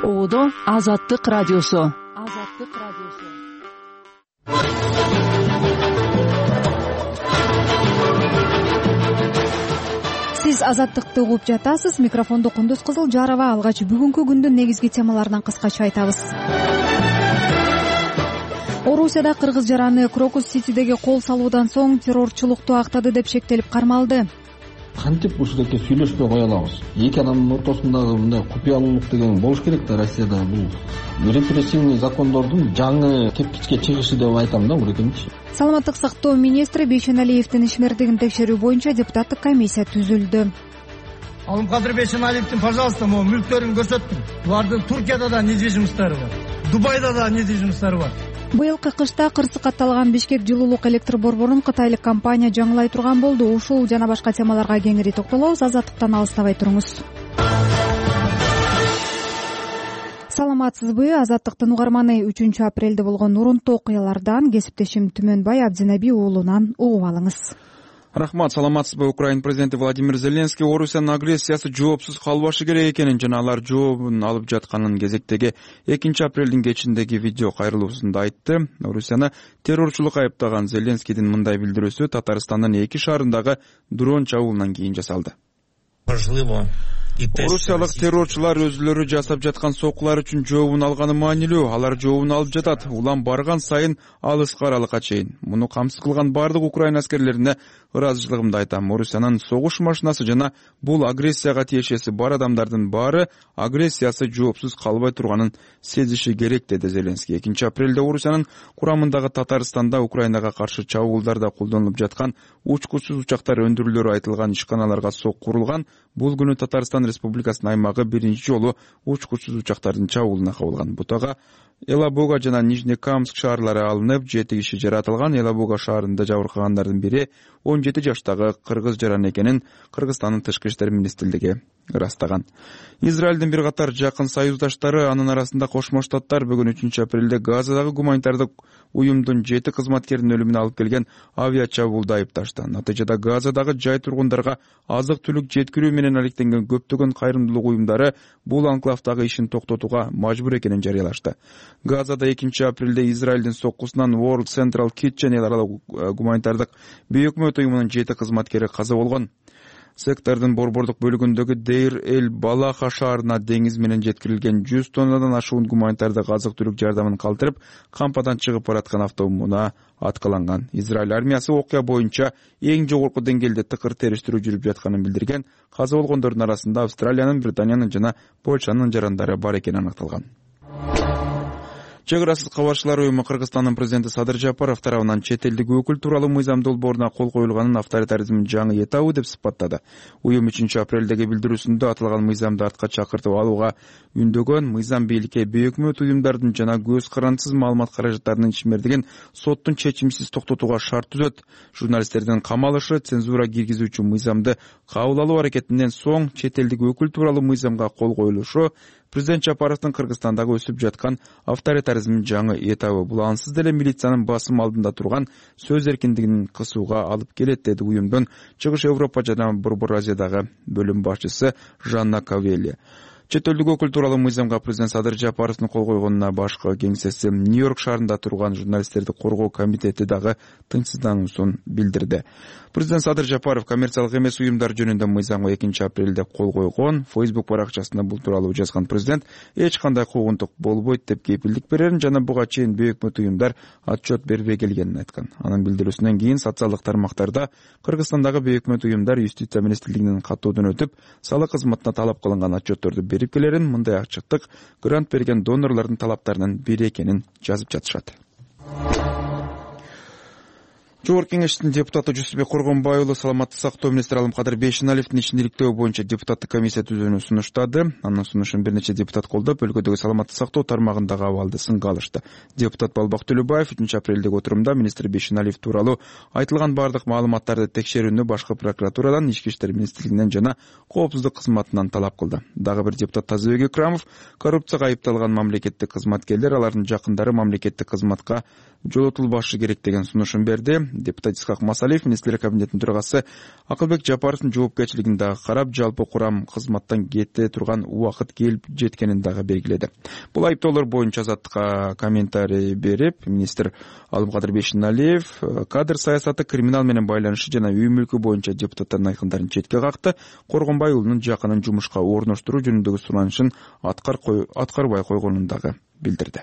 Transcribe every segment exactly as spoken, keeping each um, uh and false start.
Оодо Азаттык радиосу. Азаттык радиосу. Сиз Азаттыкты угуп жатасыз. Микрофонду Кундуз Кызыл Жарова. Алгач бүгүнкү күндүн негизги темаларынан кыскача айтабыз. Орусияда кыргыз жараны Крокус-Ситидеги кол салуудан соң террорчулукту актады деп шектелип кармалды. Кантип ушундайке сүйлөшпөй кое алабыз? Эки адамдын ортосундагы мындай купуялуулук деген болуш керек да. Россияда бул репрессивный закондордун жаңы кепкичке чыгышы деп айтам да, урекенчи. Саламаттык сактоо министри Бейшеналиевдин ишмердигин текшерүү боюнча депутаттык комиссия түзүлдү. Алымкадыр Бейшеналиевдин, пожалуйста, могу мүлктөрүн көрсөттүм. Булардын Туркияда да недвижимосттары бар, Дубайда да недвижимосттары бар. Быйылкы кышта кырсык катталган Бишкек жылуулук электр борборун кытайлык компания жаңылай турган болду. Ушул жана башка темаларга кеңири токтолобуз. Азаттыктан алыстабай туруңуз. Саламатсызбы? Азаттыктын угарманы. Үчүнчү апрелде болгон урунттуу окуялардан кесиптешим Түмөнбай Абдинаби уулунан угуп алыңыз. Рахмат, саламатсызбы? Украин президенти Владимир Зеленский Орусиянын агрессиясы жоопсуз калбашы керек экенин жана алар жообун алып жатканын кезектеги экинчи апрелдин кечиндеги видео кайрылуусунда айтты. Орусияны террорчулук айыптаган Зеленскийдин мындай билдирүүсү Татарстандын эки шаарындагы дрон чабуулунан кийин жасалды. Орусиялык террорчулар өзүлөрү жасап жаткан сокулар үчүн жообун алганы маанилүү. Алар жообун алып жатат. Улам барган сайын алыска аралыкка чейин. Муну камсыз кылган бардык Украин аскерлерине ыраазычылыгымды айтам. Орусиянын согуш машинасы жана бул агрессияга тиешеси бар адамдардын баары агрессиясы жоопсуз калбай турганын сезиши керек, деди Зеленский. экинчи апрелде Орусиянын курамындагы Татарстанда Украинага каршы чабуулдарда колдонулуп жаткан учкучсуз учактар өндүрүлөрү айтылган ишканаларга сок курулган. Бул күнү Татарстан Республикасынын аймагы биринчи жолу учкучсуз учактардын чабуулуна кабылган. Бутага Элабуга жана Нижнекамск шаарлары алынып, жети киши жаратылган. Элабуга шаарында жабыркагандардын бири он жети жаштагы кыргыз жаран экенин Кыргызстандын тышкы иштер министрлиги ырастаган. Израилдин бир катар жакын союздаштары, анын арасында Кошмо Штаттар бүгүн үчүнчү апрелде Газадагы гуманитардык уюмдун жети кызматкеринин өлүмүнө алып келген авиа чабуулду айыпташты. Натыйжада Газадагы жай тургундарга азык түлүк жеткирүү менен алектенген көптөгөн кайрымдуулук уюмдары бул анклавдагы ишин токтотууга мажбур экенин жарыялашты. Газада экинчи апрелде Израилдин соккусунан World Central Kitchen эл аралык гуманитардык бейөкмөт уюмунун жети кызматкери каза болгон. Сектордун борбордук бөлүгүндөгү Дейр-эль-Балаха шаарына деңиз менен жеткирилген жүз тоннадан ашуун гуманитардык азык түлүк жардамын калтырып, кампадан чыгып бараткан автоунаа аткаланган. Израиль армиясы окуя боюнча эң жогорку деңгээлде тыкыр териштирүү жүрүп жатканын билдирген. Каза болгондордун арасында Австралиянын, Британиянын жана Польшанын жарандары бар экени аныкталган. Чек арасыз кабарчылар уюму Кыргызстандын президенти Садыр Жапаров тарабынан чет элдик өкүл тууралуу мыйзам долбооруна кол коюлганын авторитаризмдин жаңы этабы деп сыпаттады. Уюм үчүнчү апрелдеги билдирүүсүндө аталган мыйзамды артка чакыртып алууга үндөгөн, мыйзам бийликке бейөкмөт уюмдардын жана көз карандысыз маалымат каражаттарынын ишмердигин соттун чечимсиз токтотууга шарт түзөт. Журналисттердин камалышы, цензура киргизүүчү мыйзамды кабыл алуу аракетинен соң чет элдик өкүл тууралуу мыйзамга кол коюлушу президент Жапаровдун Кыргызстандагы өсүп жаткан авторитаризмдин жаңы этабы. Бул ансыз деле милициянын басым алдында турган сөз эркиндигин кысууга алып келет, деди уюмдун Чыгыш Европа жана Борбор Азиядагы бөлүм башчысы Жанна Кавелли. Чет элдик өкүл тууралуу мыйзамга президент Садыр Жапаровдун кол койгонуна башкы кеңсеси Нью-Йорк шаарында турган журналисттерди коргоо комитети дагы тынчсыздануусун билдирди. Президент Садыр Жапаров коммерциялык эмес уюмдар жөнүндө мыйзамга экинчи апрелде кол койгон. Facebook баракчасында бул тууралуу жазган президент эч кандай куугунтук болбойт деп кепилдик берерин жана буга чейин бейөкмөт уюмдар отчет бербей келгенин айткан. Анын билдирүүсүнөн кийин социалдык тармактарда Кыргызстандагы бейөкмөт уюмдар Юстиция министрлигинин каттоодон өтүп, салык кызматына талап кылынган отчетторду берип келерин, мындай ачыктык грант берген донорлордун талаптарынын бири экенин жазып жатышат. Жогорку Кеңештин депутаты Жусупбек Коргонбай уулу саламаттык сактоо министри Алымкадыр Бейшеналиевдин ишин иликтөө боюнча депутаттык комиссия түзүүнү сунуштады. Анын сунушун бир нече депутат колдоп, өлкөдөгү саламаттык сактоо тармагындагы абалды сынга алышты. Депутат Балбак Төлөбаев үчүнчү апрелдеги отурумда министр Бейшеналиев тууралуу айтылган бардык маалыматтарды текшерүүнү башкы прокуратурадан, Ички иштер министрлигинен жана коопсуздук кызматынан талап кылды. Дагы бир депутат Тазыбек Икрамов коррупцияга айыпталган мамлекеттик кызматкерлер, алардын жакындары мамлекеттик кызматка жолотулбашы керек деген сунушун берди. Депутат Исхак Масалиев министрлер кабинетинин төрагасы Акылбек Жапаровдун жоопкерчилигин дагы карап, жалпы курам кызматтан кете турган убакыт келип жеткенин дагы белгиледи. Бул айыптоолор боюнча Азаттыкка комментарий берип, министр Алымкадыр Бейшеналиев кадр саясаты, криминал менен байланышы жана үй мүлкү боюнча депутаттардын айкындарын четке какты, Коргонбай уулунун жакынын жумушка орноштуруу жөнүндөгү суранышын аткарбай койгонун дагы билдирди.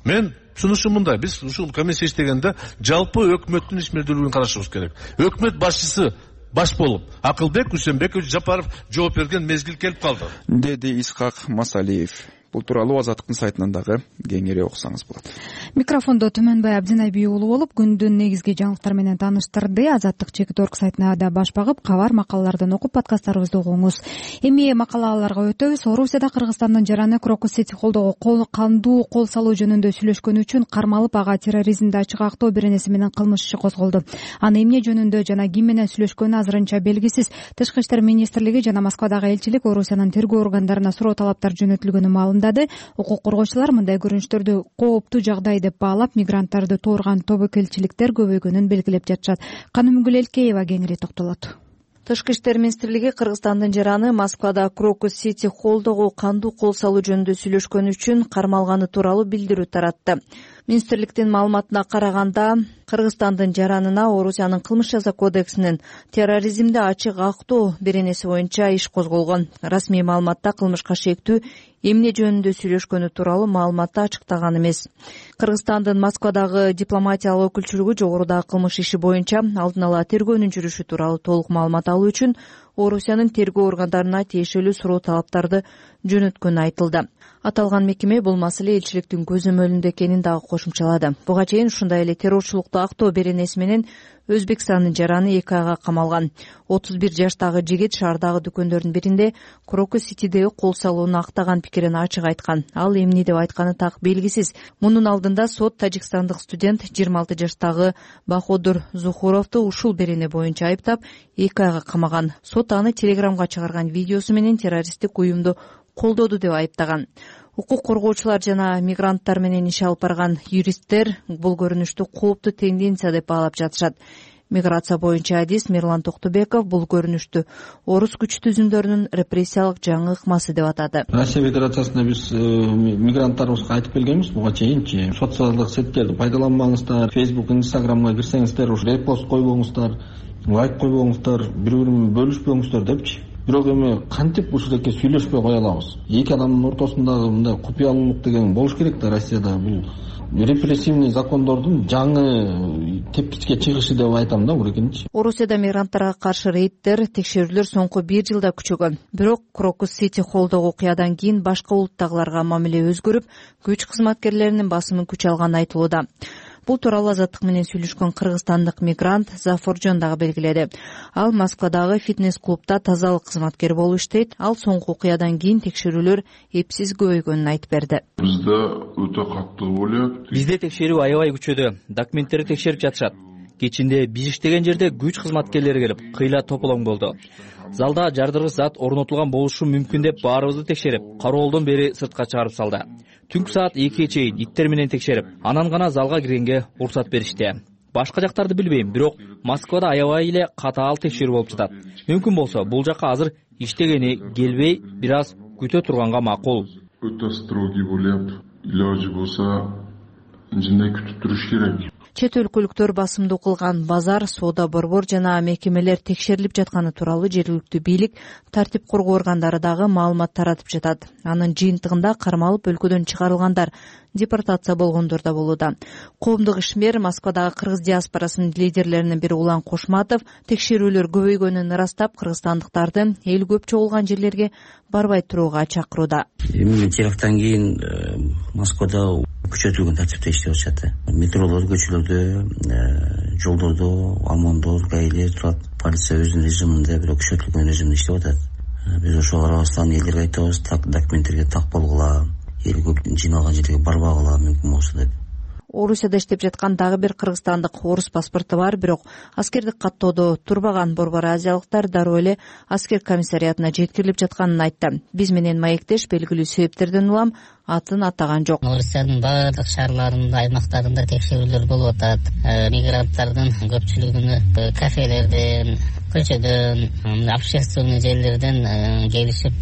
Мен сунушум мындай: биз ушул комиссия иштегенде жалпы өкмөттүн ишмердүүлүгүн карашыбыз керек. Өкмөт башчысы баш болуп Акылбек Үсенбекович Жапаров жооп берген мезгил келип калды, деди Исхак Масалиев. Бул тууралуу Азаттыктын сайтынан дагы кеңири окусаңыз болот. Микрофондо Түмөнбай Абдинайби уулу болуп, күндүн негизги жаңылыктары менен тааныштырды. Азаттык чекит орг сайтына да баш багып, кабар макалалардан окуп, подкасттарыбызды угуңуз. Эми макалаларга өтөбүз. Орусияда Кыргызстандын жараны Крокус Сити колдогу кол кандуу кол салуу жөнүндө сүйлөшкөнү үчүн кармалып, ага терроризмди ачык актоо беренеси менен кылмыш иши козголду. Аны эмне жөнүндө жана ким менен сүйлөшкөнү азырынча белгисиз. Тышкы иштер министрлиги жана Москвадагы элчилик Орусиянын тергөө органдарына суроо талаптар жөнөтүлгөнү маалымдады. Укук коргоочулар мындай көрүнүштөрдү кооптуу жагдай деп баалап, мигранттарды тоорган тобокелчиликтер көбөйгөнүн белгилеп жатышат. Канымгүл Элкеева кеңири токтолот. Тышкы иштер министрлиги Кыргызстандын жараны Москвада Крокус Сити холдогу кандуу кол салуу жөнүндө сүйлөшкөнү үчүн кармалганы тууралуу билдирүү таратты. Министрликтин маалыматына караганда, Кыргызстандын жаранына Орусиянын кылмыш жаза кодексинин терроризмди ачык актоо беренеси боюнча иш козголгон. Расмий маалыматта кылмышка шектүү эмне жөнүндө сүйлөшкөнү тууралуу маалыматты ачыктаган эмес. Кыргызстандын Москвадагы дипломатиялык өкүлчүлүгү жогорудагы кылмыш иши боюнча алдын ала тергөөнүн жүрүшү тууралуу толук маалымат алуу үчүн Орусиянын тергөө органдарына тиешелүү суроо талаптарды жөнөткөнү айтылды. Аталган мекеме бул маселе элчиликтин көзөмөлүндө экенин дагы кошумчалады. Буга чейин ушундай эле террорчулукту актоо беренеси менен Өзбекстандын жараны эки айга камалган. отуз бир жаштагы жигит шаардагы дүкөндөрдүн биринде Крокус Ситидеги кол салууну актаган пикирин ачык айткан. Ал эмне деп айтканы так белгисиз. Мунун алдында сот тажикстандык студент жыйырма алты жаштагы Баходур Зухуровду ушул берене боюнча айыптап, эки айга камаган. Сот аны Телеграмга чыгарган видеосу менен террористтик уюмду колдоду деп айыптаган. Укук коргоочулар жана мигранттар менен иш алып барган юристтер бул көрүнүштү кооптуу тенденция деп баалап жатышат. Миграция боюнча адис Мирлан Токтубеков бул көрүнүштү орус күч түзүмдөрүнүн репрессиялык жаңы ыкмасы деп атады. Россия Федерациясында биз мигранттарыбызга айтып келгенбиз буга чейинчи. Социалдык сеттерди пайдаланмаңыздар, Facebook, Instagramга кирсеңиздер, ушу репост койбоңуздар, лайк койбоңуздар, бири-бири менен бөлүшпөңүздөр депчи. Бирок эми кантип ушундайке сүйлөшпөй кое алабыз? Эки адамдын ортосундагы мындай купуялуулук деген болуш керек да. Россияда бул репрессивный закондордун жаңы тепкичке чыгышы деп айтам да урекенчи. Орусияда мигранттарга каршы рейдтер, текшерүүлөр соңку бир жылда күчөгөн. Бирок Крокус Сити холдогу окуядан кийин башка улуттагыларга мамиле өзгөрүп, күч кызматкерлеринин басымын күч алганы айтылууда. Бул тууралуу Азаттык менен сүйлөшкөн кыргызстандык мигрант Зафоржон дагы белгиледи. Ал Москвадагы фитнес-клубда тазалык кызматкери болуп иштейт. Ал соңку окуядан кийин текшерүүлөр эпсиз көбөйгөнүн айтып берди. Бизде өтө катуу болот. Бизде текшерүү аябай күчөдү. Документтерди текшерип жатышат. Кечинде биз иштеген жерде күч кызматкерлери келип, кыйла тополоң болду. Залда жардыргыч зат орнотулган болушу мүмкүн деп баарыбызды текшерип, кароолдон бери сыртка чыгарып салды. Түнкү саат экиге чейин иттер менен текшерип, анан гана залга киргенге уруксат беришти. Башка жактарды билбейм, бирок Москвада аябай эле катаал текшерүү болуп жатат. Мүмкүн болсо бул жакка азыр иштегени келбей, бир аз күтө турганга макул. Өтө строгий болуп, илажы болсо жинде күтүп туруш керек. Чет өлкөлүктөр басымдуу кылган базар, соода борбор жана мекемелер текшерилип жатканы тууралуу жергиликтүү бийлик, тартип коргоо органдары дагы маалымат таратып жатат. Анын жыйынтыгында кармалып өлкөдөн чыгарылгандар, депортация болгондор да болууда. Коомдук ишмер Москвадагы кыргыз диаспорасынын лидерлеринин бири Улан Кошматов текшерүүлөр көбөйгөнүн ырастап, кыргызстандыктарды эл көп чогулган жерлерге барбай турууга чакырууда. Эми теракттан кийин Москвада күчөтүлгөн тартипте иштеп атышат. Метролор, көчөлөрдө, жолдордо, ОМОНдор, гаилер турат. Полиция өзүнүн режиминде, бирок күчөтүлгөн режимде иштеп атат. Биз ошого карабастан элдерге айтабыз, так документтерге так болгула, эл көп жиналган жерге барбагыла мүмкүн болсо деп. Орусияда иштеп жаткан дагы бир кыргызстандык орус паспорту бар, бирок аскердик каттоодо турбаган борбор азиялыктар дароо эле аскер комиссариатына жеткирилип жатканын айтты. Биз менен маектеш белгилүү себептерден улам атын атаган жок. Орусиянын баардык шаарларында, аймактарында текшерүүлөр болуп атат. Мигранттардын көпчүлүгүнө кафелерден, көчөдөн, общественный жерлерден келишип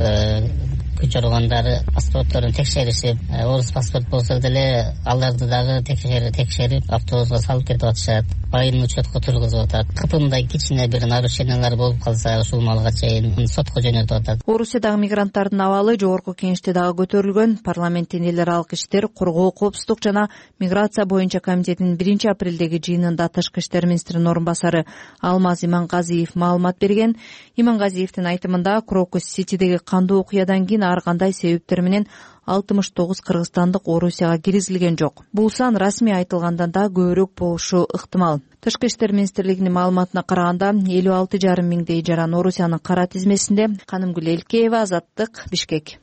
күч ургандары паспортторун текшеришип, орус паспорт болсо деле аларды дагы текшерип автобуска салып кетип атышат, байын учетко тургузуп атат. Кыпымдай кичине бир нарушениялар болуп калса ушул малга чейин сотко жөнөтүп атат. Орусиядагы мигранттардын абалы жогорку кеңеште дагы көтөрүлгөн. Парламенттин эл аралык иштер, коргоо, коопсуздук жана миграция боюнча комитетинин биринчи апрелдеги жыйынында тышкы иштер министринин орун басары Алмаз Имангазиев маалымат берген. Имангазиевдин айтымында Крокус-Ситидеги кандуу окуядан кийин ар кандай себептер менен алтымыш тогуз кыргызстандык Орусияга киргизилген жок. Бул сан расмий айтылгандан да көбүрөөк болушу ыктымал. Тышкы иштер министрлигинин маалыматына караганда элүү алты жарым миңдей жаран Орусиянын кара тизмесинде. Канымгүл Элкеева, Азаттык, Бишкек.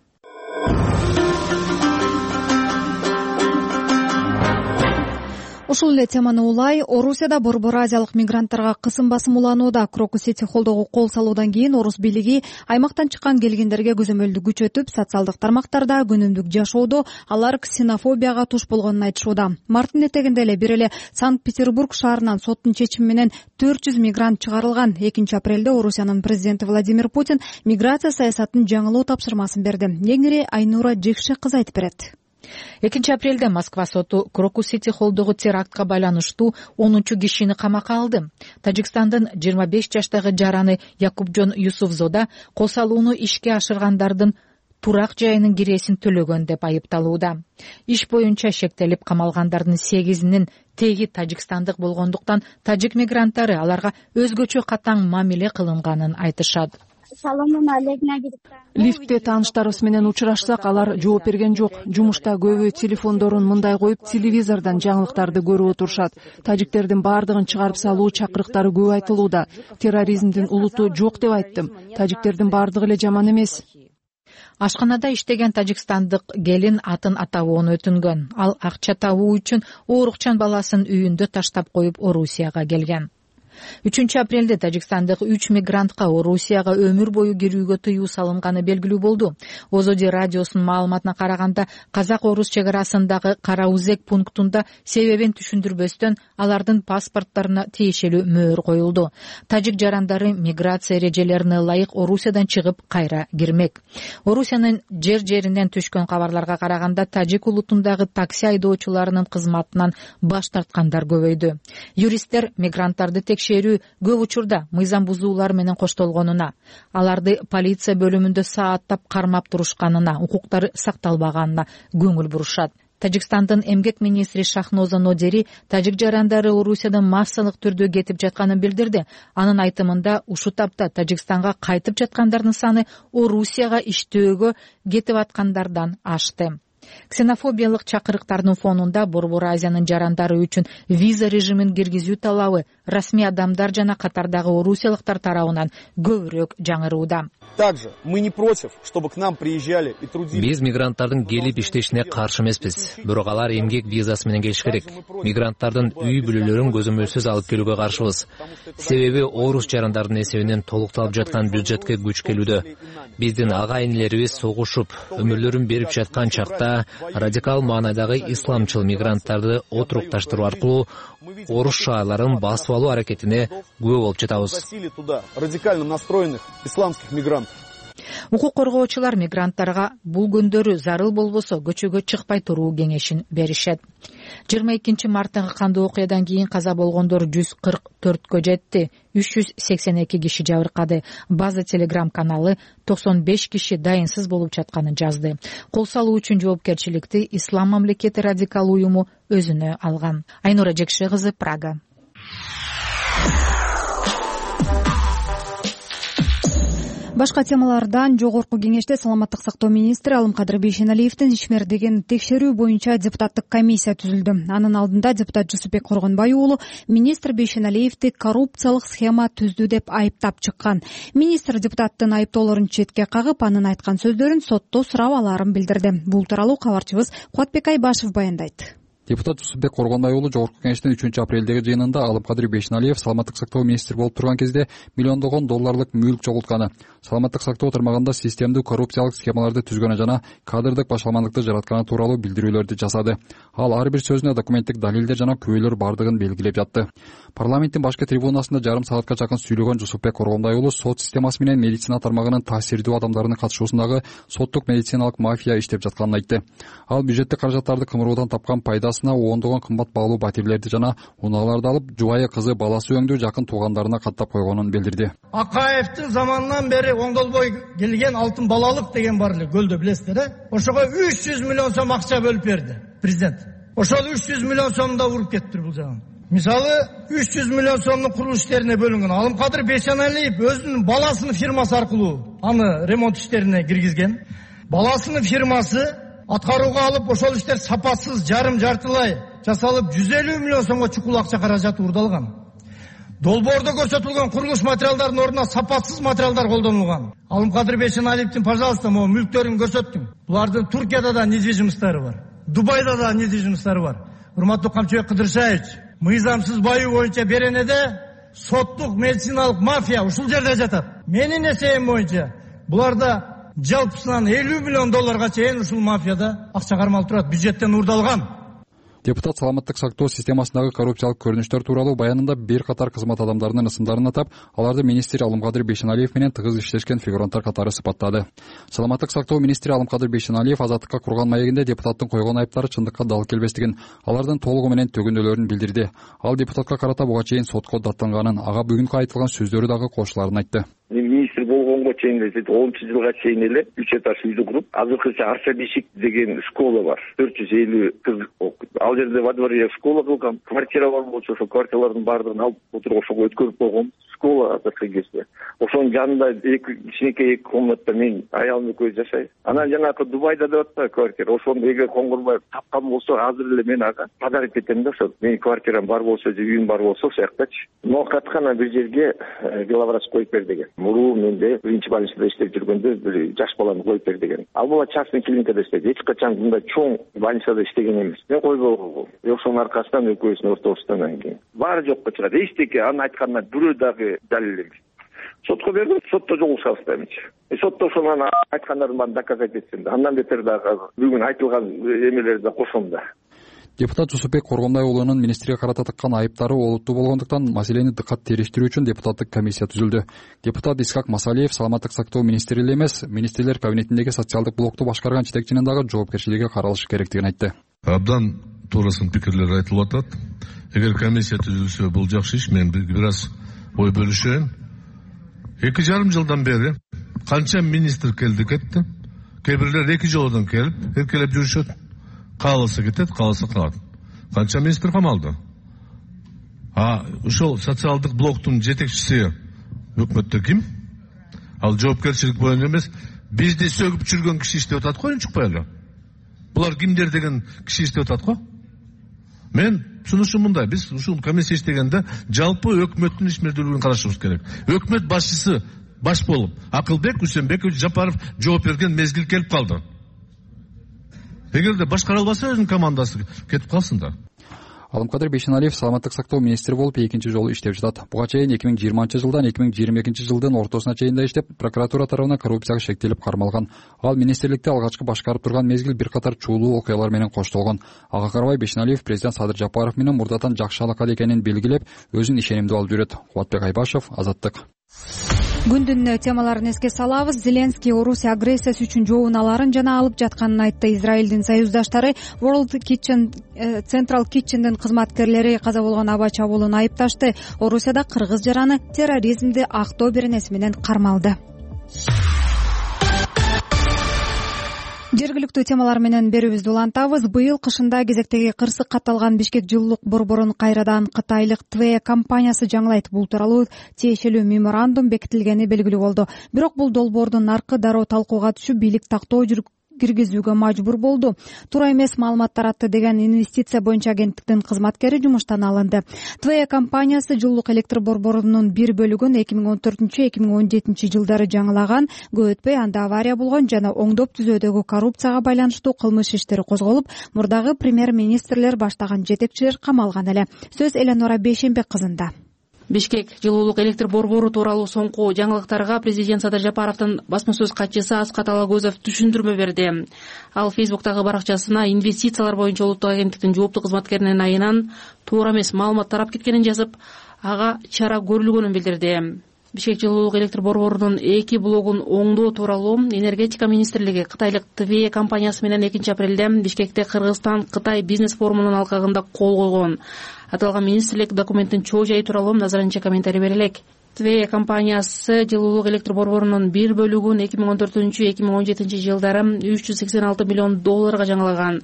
Ушул эле теманы улай, Орусияда борбор азиялык мигранттарга кысым басым уланууда. Крокус-Сити холдоого кол салуудан кийин орус бийлиги аймактан чыккан келгендерге көзөмөлдү күчөтүп, социалдык тармактарда күнүмдүк жашоодо алар ксенофобияга туш болгонун айтышууда. Марттын этегинде эле бир эле Санкт-Петербург шаарынан соттун чечими менен төрт жүз мигрант чыгарылган. экинчи апрелде Орусиянын президенти Владимир Путин миграция саясатын жаңылоо тапшырмасын берди. Кеңири Айнура Жекше кыз айтып берет. экинчи апрелде Москва соту Крокус-Сити холдогу терактка байланыштуу онунчу кишини камакка алды. Тажикстандын жыйырма беш жаштагы жараны Якубжон Юсуфзода кол салууну ишке ашыргандардын турак жайынын киресин төлөгөн деп айыпталууда. Иш боюнча шектелип камалгандардын сегизинин теги тажикстандык болгондуктан тажик мигранттары аларга өзгөчө катаң мамиле кылынганын айтышат. Лифтте тааныштарыбыз менен учурашсак, алар жооп берген жок. Жумушта көбү телефондорун мындай коюп, телевизордон жаңылыктарды көрүп отурушат. Тажиктердин баардыгын чыгарып салуу чакырыктары көп айтылууда. Терроризмдин улуту жок деп айттым. Тажиктердин баардыгы эле жаман эмес. Ашканада иштеген тажикстандык келин атын атабоону өтүнгөн. Ал акча табуу үчүн оорукчан баласын үйүндө таштап коюп Орусияга келген. үчүнчү апрелде тажикстандык үч мигрантка Орусияга өмүр бою кирүүгө тыюу салынганы белгилүү болду. Озоди радиосунун маалыматына караганда, казак-орус чек арасындагы Караузек пунктунда себебин түшүндүрбөстөн алардын паспорттарына тиешелүү мөөр коюлду. Тажик жарандары миграция эрежелерине ылайык Орусиядан чыгып кайра кирмек. Орусиянын жер жеринен түшкөн кабарларга караганда, тажик улутундагы такси айдоочуларынын кызматынан баш тарткандар көбөйдү. Юристтер мигранттарды текшерүү көп учурда мыйзам бузуулар менен коштолгонуна, аларды полиция бөлүмүндө сааттап кармап турушканына, укуктары сакталбаганына көңүл бурушат. Тажикстандын эмгек министри Шахноза Нодери тажик жарандары Орусиядан массалык түрдө кетип жатканын билдирди. Анын айтымында, ушул тапта Тажикстанга кайтып жаткандардын саны Орусияга иштөөгө кетип аткандардан ашты. Ксенофобиялык чакырыктардын фонунда Борбор Азиянын жарандары үчүн виза режимин киргизүү талабы расмий адамдар жана катардагы орусиялыктар тарабынан көбүрөөк жаңырууда. Также мы не против, чтобы к нам приезжали и трудились. Биз мигранттардын келип иштешине каршы эмеспиз. Бирок алар эмгек визасы менен келиш керек. Мигранттардын үй бүлөлөрүн көзөмөлсүз алып келүүгө каршыбыз. Себеби орус жарандардын эсебинен толукталып жаткан бюджетке күч келүүдө. Биздин ага-инилерибиз согушуп, өмүрлөрүн берип жаткан чакта радикал маанайдагы исламчыл мигранттарды отурукташтыруу аркылуу орус шаарларын басып алуу аракетине күбө болуп жатабыз. Радикально настроенных исламских мигрантов. Укук коргоочулар мигранттарга бул күндөрү зарыл болбосо көчөгө чыкпай туруу кеңешин беришет. жыйырма экинчи марттагы кандуу окуядан кийин каза болгондор жүз кырк төрткө жетти. үч жүз сексен эки киши жабыркады. База Телеграм каналы токсон беш киши дайынсыз болуп жатканын жазды. Кол салуу үчүн жоопкерчиликти Ислам мамлекети радикал уюму өзүнө алган. Айнура Жекше кызы, Прага. Башка темалардан жогорку кеңеште саламаттык сактоо министри Алымкадыр Бейшеналиевдин ишмердигин текшерүү боюнча депутаттык комиссия түзүлдү. Анын алдында депутат Жусупбек Коргонбай уулу министр Бейшеналиевди коррупциялык схема түздү деп айыптап чыккан. Министр депутаттын айыптоолорун четке кагып, анын айткан сөздөрүн сотто сурап алаарын билдирди. Бул тууралуу кабарчыбыз Кубатбек Айбашев баяндайт. Депутат Жусупбек Коргонбай уулу Жогорку Кеңештин үчүнчү апрелдеги жыйынында Алымкадыр Бейшеналиев саламаттык сактоо министри болуп турган кезде миллиондогон долларлык мүлк жоголтканы, саламаттык сактоо тармагында системдүү коррупциялык схемаларды түзгөнү жана кадрдык башаламандыкты жаратканы тууралуу билдирүүлөрдү жасады. Ал ар бир сөзүнө документтик далилдер жана күбөлөр бардыгын белгилеп жатты. Парламенттин башкы трибунасында жарым саатка жакын сүйлөгөн Жусупбек Коргонбай уулу сот системасы менен медицина тармагынын таасирдүү адамдарынын катышуусундагы соттук медициналык мафия иштеп жатканын айтты. Ал бюджеттик каражаттарды кымыруудан тапкан пайдасына ондогон кымбат баалуу батирлерди жана унааларды алып, жубайы кызы баласы өңдүү жакын туугандарына каттап койгонун билдирди. Акаевдин заманынан бери оңдолбой келген алтын балалык деген бар эле көлдө, билесиздер, э? Ошого үч жүз миллион сом акча бөлүп берди президент. Ошол үч жүз миллион сомду да уруп кетти бул жагын. Мисалы, үч жүз миллион сомдун курулуш иштерине бөлүнгөн. Алымкадыр Бейшеналиев өзүнүн баласынын фирмасы аркылуу аны ремонт иштерине киргизген. Баласынын фирмасы аткарууга алып, ошол иштер сапасыз, жарым жартылай жасалып, жүз элүү миллион сомго чукул акча каражаты урдалган. Долбоордо көрсөтүлгөн курулуш материалдарынын ордуна сапасыз материалдар колдонулган. Алымкадыр Бейшеналиевдин, пожалуйста, могу мүлктөрүн көрсөттүм. Булардын Туркияда да недвижимосттары бар, Дубайда да недвижимосттары бар. Урматтуу Камчыбек Кыдыршаевич, мыйзамсыз баюу боюнча Беренеде соттук медициналык мафия ушул жерде жатат. Менин эсебим боюнча буларда жалпысынан элүү миллион долларга чейин ушул мафияда акча кармалып турат, бюджеттен урдалган. Депутат саламаттык сактоо системасындагы коррупциялык көрүнүштөр тууралуу баянында бир катар кызмат адамдарынын ысымдарын атап, аларды министр Алымкадыр Бейшеналиев менен тыгыз иштешкен фигуранттар катары сыпаттады. Саламаттык сактоо министри Алымкадыр Бейшеналиев азаттыкка курган маегинде депутаттын койгон айыптары чындыкка дал келбестигин, алардын толугу менен төгүнөлөрүн билдирди. Ал депутатка карата буга чейин сотко даттанганын, ага бүгүнкү айтылган сөздөрү дагы кошуларын айтты. Министр болгонго чейин эле онунчу жылга чейин эле үч этаж үйдү куруп, азыркыча Арсабишик деген школа бар. төрт жүз элүү кыз окуйт. Ал жерде во дворе школа кылган. Квартиралар болчу, ошо квартиралардын баардыгын алып отуруп ошого өткөрүп койгон. Школа азыркы кезде. Ошонун жанында эки кичинекей эки комнатта мен аялым экөөбүз жашайбыз. Анан жанагы Дубайда деп атпайбы квартира. Ошону эгер Коңгурбаев тапкан болсо, азыр эле мен ага подарок этем да, ошо менин квартирам бар болсо, же үйүм бар болсо, ошол жактачы. Но каткана бир жерге главврач коюп бер деген. Муруу менде биринчи больницада иштеп жүргөндө бир жаш баланы коюп бер деген. Ал бала частный клиникада иштейт. Эч качан мындай чоң больницада иштеген эмес. Мен койбогом. Ошонун аркасынан экөөбүздүн ортобуздан кийин баары жокко чыгат. Эчтеке анын айтканына бирөө дагы далил эмес. Сотко бердим, сотто жолугушабыз демечи. Сотто ошонун айткандарын баарын доказать этсем да, андан бетер дагы бүгүн айтылган эмелерди да кошом да. Депутат Жусупбек Коргонбай уулунун министрге карата тыккан айыптары олуттуу болгондуктан маселени дыкат териштирүү үчүн депутаттык комиссия түзүлдү. Депутат Исхак Масалиев саламаттык сактоо министри эле эмес, министрлер кабинетиндеги социалдык блокту башкарган жетекчинин дагы жоопкерчилиги каралышы керектигин айтты. Абдан туурасын пикирлер айтылып атат. Эгер комиссия түзүлсө бул жакшы иш. Мен бир аз ой бөлүшөйүн. Эки жарым жылдан бери канча министр келди кетти. Кээ бирлер эки жолдон келип, эркелеп жүрүшөт. Кааласа кетет, кааласа калат. Канча министр камалды. А ошол социалдык блоктун жетекчиси өкмөттө ким? Ал жоопкерчилик боюнча эмес, бизди сөгүп жүргөн киши иштеп атат го, чукпай эле. Булар кимдер деген киши иштеп атат го? Мен сунушум мындай: биз ушул комиссия иштегенде жалпы өкмөттүн ишмердүүлүгүн карашыбыз керек. Өкмөт башчысы баш болуп Акылбек Үсөнбекович Жапаров жооп берген мезгил келип калды. Эгерде башкара албаса өзүнүн командасы кетип калсын да. Алымкадыр Бейшеналиев саламаттык сактоо министри болуп экинчи жолу иштеп жатат. Буга чейин эки миң жыйырманчы жылдан эки миң жыйырма экинчи жылдын ортосуна чейин да иштеп, прокуратура тарабынан коррупцияга шектелип кармалган. Ал министрликте алгачкы башкарып турган мезгил бир катар чуулуу окуялар менен коштолгон. Ага карабай Бейшеналиев президент Садыр Жапаров менен мурдатан жакшы алакада экенин белгилеп, өзүн ишенимдүү алып жүрөт. Кубатбек Айбашев, Азаттык. Күндүн темаларын эске салабыз. Зеленский Орусия агрессиясы үчүн жообуналарын жана алып жатканын айтты. Израилдин союздаштары World Kitchen, Central Kitchen'дин кызматкерлери каза болгон аба чабуулун айыпташты. Орусияда кыргыз жараны терроризмди актоо беренеси менен кармалды. Жергиликтүү темалар менен берүүбүздү улантабыз. Быйыл кышында кезектеги кырсык катталган Бишкек жылуулук борборун кайрадан кытайлык Тве компаниясы жаңылайт. Бул тууралуу тиешелүү меморандум бекитилгени белгилүү болду. Бирок бул долбоордун наркы дароо талкууга түшүп, бийлик тактоо киргизүүгө мажбур болду. Туура эмес маалымат таратты деген инвестиция боюнча агенттиктин кызматкери жумуштан алынды. ТВЭ компаниясы жылуулук электр борборунун бир бөлүгүн эки миң он төртүнчү эки миң он жетинчи жылдары жаңылаган. Көп өтпөй анда авария болгон жана оңдоп түзүүдөгү коррупцияга байланыштуу кылмыш иштери козголуп, мурдагы премьер-министрлер баштаган жетекчилер камалган эле. Сөз Эленора Бейшенбек кызында. Бишкек жылуулук электр борбору тууралуу соңку жаңылыктарга президент Садыр Жапаровдун басма сөз катчысы Аскат Алагөзов түшүндүрмө берди. Ал Фейсбуктагы баракчасына инвестициялар боюнча улуттук агенттиктин жооптуу кызматкеринин айынан туура эмес маалымат тарап кеткенин жазып, ага чара көрүлгөнүн билдирди. Бишкек жылуулук электр борборунун эки блогун оңдоо тууралуу энергетика министрлиги кытайлык ТВЭ компаниясы менен экинчи апрелде Бишкекте Кыргызстан-Кытай бизнес форумунун алкагында кол койгон. Аталган министрлик документтин чоо жайы тууралуу азырынча комментарий бере элек. ТВЭ компаниясы жылуулук электр борборунун бир бөлүгүн эки миң он төртүнчү эки миң он жетинчи жылдары үч жүз сексен алты миллион долларга жаңылаган.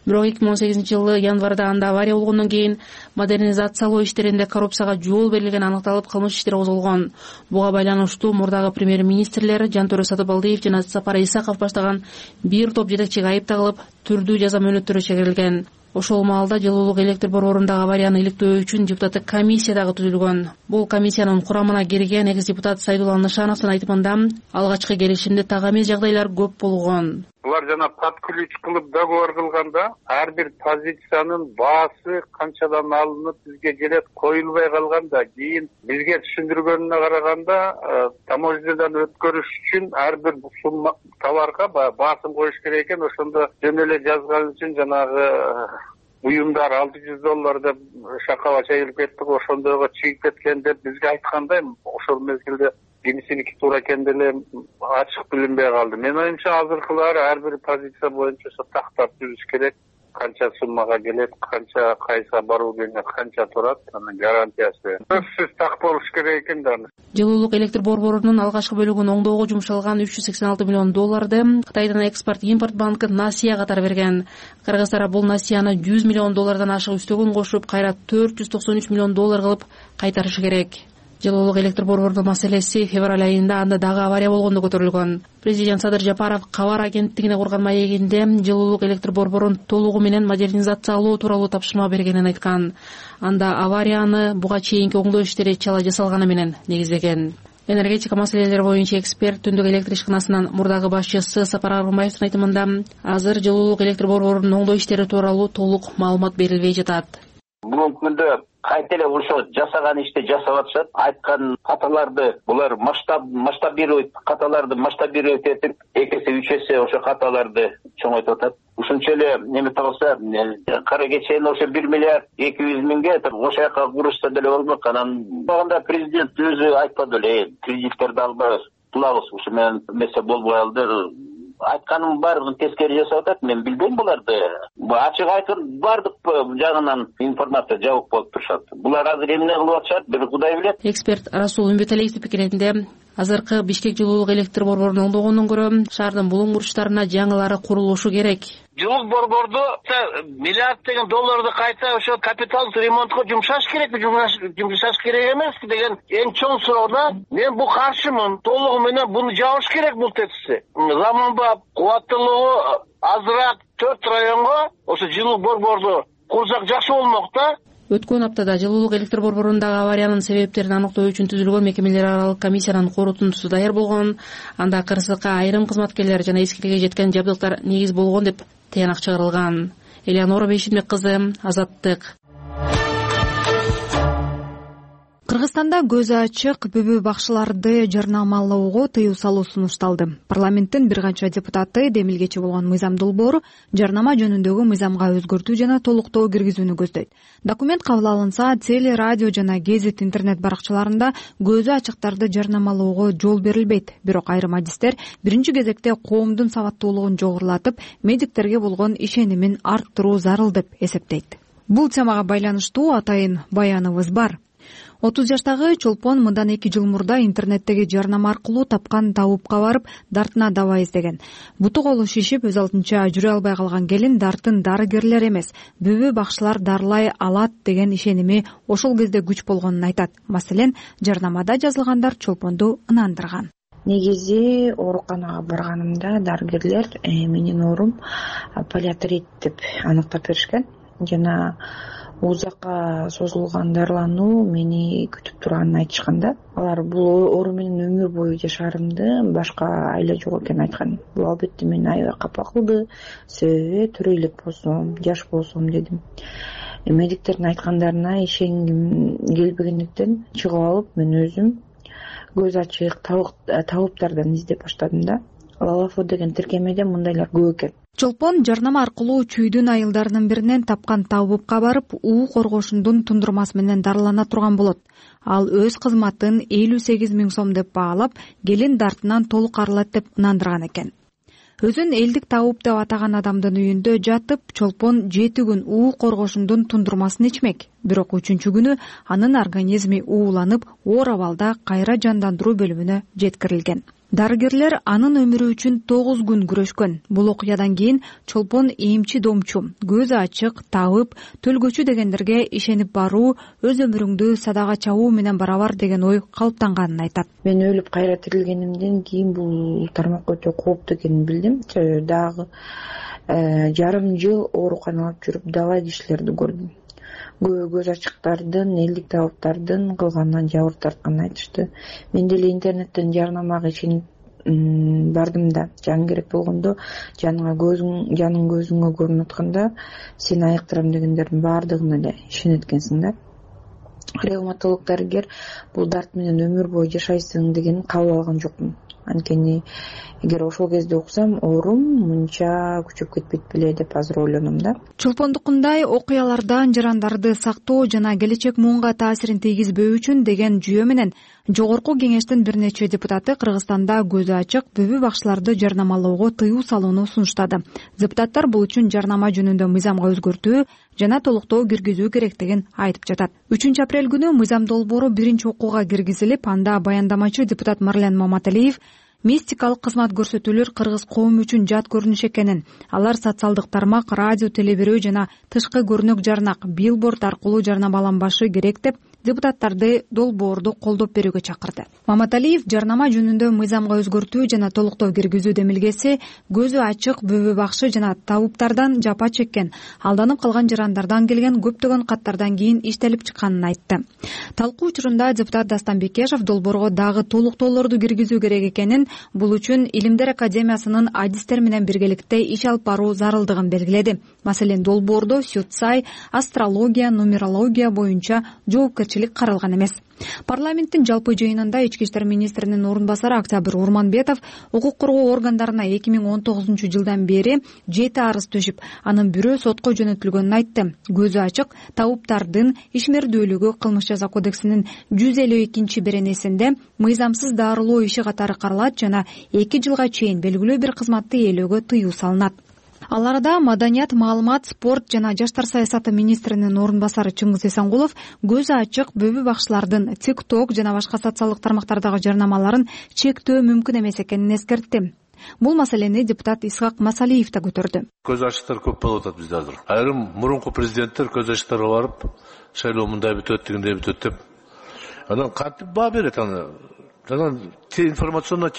Бирок эки миң он сегизинчи жылы январда анда авария болгондон кийин модернизациялоо иштеринде коррупцияга жол берилгени аныкталып, кылмыш иштери козголгон. Буга байланыштуу мурдагы премьер-министрлер Жантөрө Сатыбалдиев жана Сапар Исаков баштаган бир топ жетекчиге айып тагылып, түрдүү жаза мөөнөттөрү чегерилген. Ошол маалда жылуулук электр борборундагы аварияны иликтөө үчүн депутаттык комиссия дагы түзүлгөн. Бул комиссиянын курамына кирген экс депутат Сайдулла Нышановдун айтымында алгачкы келишимде так эмес жагдайлар көп болгон. Булар жана под ключ кылып договор кылганда ар бир позициянын баасы канчадан алынып бизге келет коюлбай калганда, кийин бизге түшүндүргөнүнө караганда таможнядан өткөрүш үчүн ар бир сумма товарга баасын коюш керек экен. Ошондо жөн эле жазган үчүн жанагы уюмдар алты жүз доллар деп шакала чайылып кеттик, ошондойго чыгып кеткен деп бизге айткандай, ошол мезгилде кимисиники туура экен деле ачык билинбей калды. Менин оюмча азыркылары ар бир позиция боюнча тактап түзүш керек. Канча суммага келет, канча кайса баруу күнүнө канча турат, анын гарантиясы сөзсүз так болуш керек экен да. Жылуулук электр борборунун алгачкы бөлүгүн оңдоого жумшалган үч жүз сексен алты миллион долларды Кытайдан экспорт-импорт банкы Насия катары берген. Кыргыздар бул Насияны жүз миллион доллардан ашык үстөгөн кошуп, кайра төрт жүз токсон үч миллион доллар кылып кайтарышы керек. Жылуулук электр борборунун маселеси февраль айында анда дагы авария болгондо көтөрүлгөн. Президент Садыр Жапаров кабар агенттигине курган маегинде жылуулук электр борборун толугу менен модернизациялоо тууралуу тапшырма бергенин айткан. Анда аварияны буга чейинки оңдоо иштери чала жасалганы менен негиздеген. Энергетика маселелери боюнча эксперт Түндүк электр ишканасынын мурдагы башчысы Сапар Аргынбаевдин айтымында азыр жылуулук электр борборунун оңдоо иштери тууралуу толук маалымат берилбей жатат. Бүгүнкү күндө кайта эле ошо жасаган ишти жасап атышат. Айткан каталарды булар масштаб масштабирует, каталарды масштабирует этип, эки эсе үч эсе ошо каталарды чоңойтуп атат. Ушунча эле немете болсо, кара кечен ошо бир миллиард эки жүз миңге ошол жака курушса деле болмок. Анан багында президент өзү айтпады эле, кредиттерди албайбыз, кылабыз, ушу менен эмесе болбой калды. Айтканын баарын тескери жасап атат. Мен билбейм буларды. Ачык айткан бардык жагынан информация жабык болуп турушат. Булар азыр эмне кылып атышат, бир Кудай билет. Эксперт Расул Үмбеталиевдин пикиринде азыркы Бишкек жылуулук электр борборун оңдогондон көрө шаардын булуң бурчтарына жаңылары курулушу керек. Жылуулук борборду миллиард деген долларды кайта ошо капиталдык ремонтко жумшаш керекпи, жумшаш керек эмеспи деген эң чоң суроо да. Мен бул каршымын. Толугу менен буну жабыш керек бул тетисти. Заманбап, кубаттуулугу азыраак төрт районго ошо жылуулук борборду курсак жакшы болмок да. Өткөн аптада жылуулук электр борборундагы авариянын себептерин аныктоо үчүн түзүлгөн мекемелер аралык комиссиянын корутундусу даяр болгон. Анда кырсыкка айрым кызматкерлер жана эскиликке жеткен жабдыктар негиз болгон деп тыянак чыгарылган. Элеонора Бейшенбек кызы, Азаттык. Кыргызстанда көзү ачык бүбү бакчыларды жарнамалоого тыюу салуу сунушталды. Парламенттин бир канча депутаты демилгечи болгон Мыйзам Долбоор жарнама жөнүндөгү мыйзамга өзгөртүү жана толуктоо киргизүүнү көздөйт. Документ кабыл алынса, теле, радио жана гезит интернет баракчаларында көзү ачыктарды жарнамалоого жол берилбейт. Бирок айрым адистер биринчи кезекте коомдун сабаттуулугун жогорулатып, медиктерге болгон ишенимин арттыруу зарыл деп эсептейт. Бул темага байланыштуу атайын баяныбыз бар. отуз жаштагы чолпон мындан эки жыл мурда интернеттеги жарнама аркылуу тапкан табупка барып, дартына дава издеген. Буту колу шишип, өз алдынча жүрө албай калган келин дартын дарыгерлер эмес, бүбү бакчылар дарылай алат деген ишеними ошол кезде күч болгонун айтат. Маселен, жарнамада жазылгандар чолпонду ынандырган. негизи ооруканага барганымда дарыгерлер менин оорум полиартрит деп аныктап беришкен жана узакка созулган дарылануу мени күтүп турганын айтышкан да. Алар бул оору менен өмүр бою жашаарымды башка айла жок экенин айткан. Бул албетте мени аябай капа кылды. Себеби тирүү элек болсом, жаш болсом дедим. Медиктердин айткандарына ишенгим келбегендиктен чыгып алып мен өзүм көз ачык табыптардан издеп баштадым да. Лалафо деген тиркемеде мындайлар көп экен. Чолпон жарнама аркылуу чүйдүн айылдарынын биринен тапкан табыпка барып, уу коргошундун тундурмасы менен дарылана турган болот. Ал өз кызматын элүү сегиз миң сом деп баалап, келин дартынан толук арылат деп ынандырган экен. Өзүн элдик табып деп атаган адамдын үйүндө жатып, Чолпон жети күн уу коргошундун тундурмасын ичмек. Бирок үчүнчү күнү анын организми ууланып, оор абалда кайра жандандыруу бөлүмүнө жеткирилген. Дарыгерлер анын өмүрү үчүн тогуз күн күрөшкөн. Бул окуядан кийин Чолпон эмчи домчу, көзү ачык, табып, төлгөчү дегендерге ишенип баруу өз өмүрүңдү садага чабуу менен барабар деген ой калыптанганын айтат. Мен өлүп кайра тирилгенимден кийин бул тармак өтө кооптуу экенин билдим. Дагы жарым жыл ооруканалап жүрүп дала кишилерди көрдүм. Көбү көз ачыктардын, элдик табыптардын кылганынан жабыр тартканын айтышты. Мен деле интернеттен жарнамага ишенип бардым да, жан керек болгондо жаныңа көзүң, жаның көзүңө көрүнүп атканда сени айыктырам дегендердин баардыгына эле ишенет экенсиң да. Ревматолог дарыгер бул дарт менен өмүр бою жашайсың дегенин кабыл алган жокмун. Анткени эгер ошол кезде уксам, оорум мынча күчөп кетпейт беле деп азыр ойлоном да. Чолпондукундай окуялардан жарандарды сактоо жана келечек муунга таасирин тийгизбөө үчүн деген жүйө менен Жогорку кеңештин бир нече депутаты Кыргызстанда көзү ачык бүбү бакчыларды жарнамалоого тыюу салууну сунуштады. Депутаттар бул үчүн жарнама жөнүндө мыйзамга өзгөртүү жана толуктоо киргизүү керектигин айтып жатат. үчүнчү апрель күнү мыйзам долбоору биринчи окууга киргизилип, анда баяндамачы депутат Марлен Маматалиев мистикалык кызмат көрсөтүүлөр кыргыз коому үчүн жат көрүнүш экенин, алар социалдык тармак, радио, телебирөө жана тышкы көрүнүк жарнак, билборд аркылуу жарнамаланбашы керек деп депутаттарды долбоорду колдоп берүүгө чакырды. Маматалиев жарнама жөнүндө мыйзамга өзгөртүү жана толуктоо киргизүү демилгеси көзү ачык бүбү бакшы жана табыптардан жапа чеккен, алданып калган жарандардан келген көптөгөн каттардан кийин иштелип чыкканын айтты. Талкуу учурунда депутат Дастан Бекешев долбоорго дагы толуктоолорду киргизүү керек экенин, бул үчүн Илимдер академиясынын адистер менен биргеликте иш алып баруу зарылдыгын белгиледи. Маселен, долбоордо сюцай, астрология, нумерология боюнча жоопкерчилик каралган эмес. Парламенттин жалпы жыйынында ички иштер министринин орун басары Октябрь Урманбетов укук коргоо органдарына эки миң он тогузунчу жылдан бери жети арыз төшүп, анын бирөө сотко жөнөтүлгөнүн айтты. Көзү ачык табыптардын ишмердүүлүгү кылмыш жаза кодексинин жүз элүү экинчи беренесинде мыйзамсыз дарылоо иши катары каралат жана эки жылга чейин белгилүү бир кызматты ээлөөгө тыюу салынат. Ал арада маданият, маалымат, спорт жана жаштар саясаты министринин орун басары Чыңгыз Эсенгулов көзү ачык бүбү бакчылардын TikTok жана башка социалдык тармактардагы жарнамаларын чектөө мүмкүн эмес экенин эскертти. Бул маселени депутат Исхак Масалиев да көтөрдү. Көз ачыктар көп болуп атат бизде азыр. Айрым мурунку президенттер көз ачыктарга барып, шайлоо мындай бүтөт, дегендей бүтөт деп анан кантип баа берет аны. Анан информационно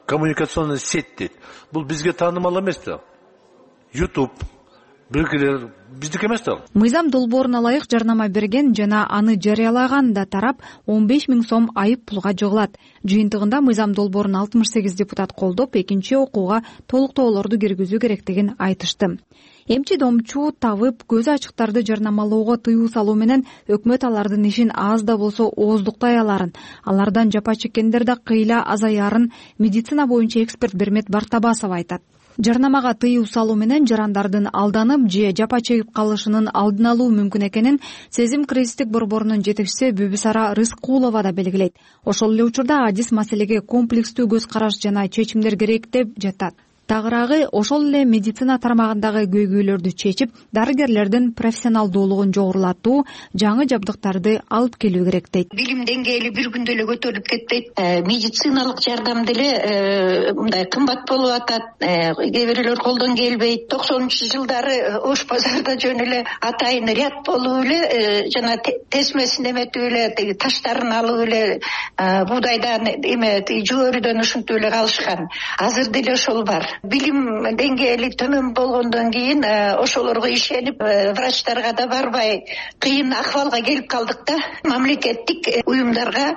коммуникационный сеть дейт. Бул бизге таанымал эмес да. YouTube, белгилер биздики эмес да. Мыйзам долбооруна ылайык жарнама берген жана аны жарыялаган да тарап он беш миң сом айып пулга жыгылат. Жыйынтыгында мыйзам долбоорун алтымыш сегиз депутат колдоп, экинчи окууга толуктоолорду киргизүү керектигин айтышты. Эмчи домчу, табып, көзү ачыктарды жарнамалоого тыюу салуу менен өкмөт алардын ишин аз да болсо ооздуктай аларын, алардан жапа чеккендер да кыйла азаярын медицина боюнча эксперт Бермет Бартабасова айтат. Жарнамага тыюу салуу менен жарандардын алданып же жапа чегип калышынын алдын алуу мүмкүн экенин Сезим кризистик борборунун жетекчиси Бүбүсара Рыскулова да белгилейт. Ошол эле учурда адис маселеге комплекстүү көз караш жана чечимдер керек деп жатат. Тагыраагы ошол эле медицина тармагындагы көйгөйлөрдү чечип, дарыгерлердин профессионалдуулугун жогорулатуу, жаңы жабдыктарды алып келүү керек дейт. Билим деңгээли бир күндө эле көтөрүлүп кетпейт. Медициналык жардам деле мындай кымбат болуп атат. Кээ бирлер колдон келбейт. токсонунчу жылдары Ош базарда жөн эле атайын ряд болуп эле жана тесмесин эметип эле таштарын алып эле буудайдан эме жүгөрүдөн ушинтип эле калышкан. Азыр деле ошол бар. Билим деңгээли төмөн болгондон кийин ошолорго ишенип врачтарга да барбай кыйын акыбалга келип калдык да. Мамлекеттик уюмдарга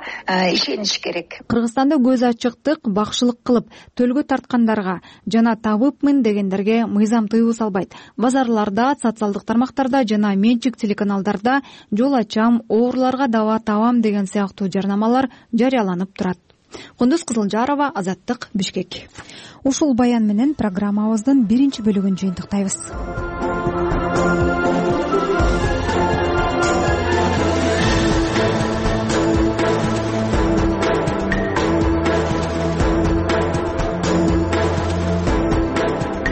ишениш керек. Кыргызстанда көз ачыктык, бакшылык кылып төлгө тарткандарга жана табыпмын дегендерге мыйзам тыюу салбайт. Базарларда, социалдык тармактарда жана менчик телеканалдарда жол ачам, ооруларга дава табам деген сыяктуу жарнамалар жарыяланып турат. Кундуз Кызылжарова, Азаттык, Бишкек. Ушул баян менен программабыздын биринчи бөлүгүн жыйынтыктайбыз.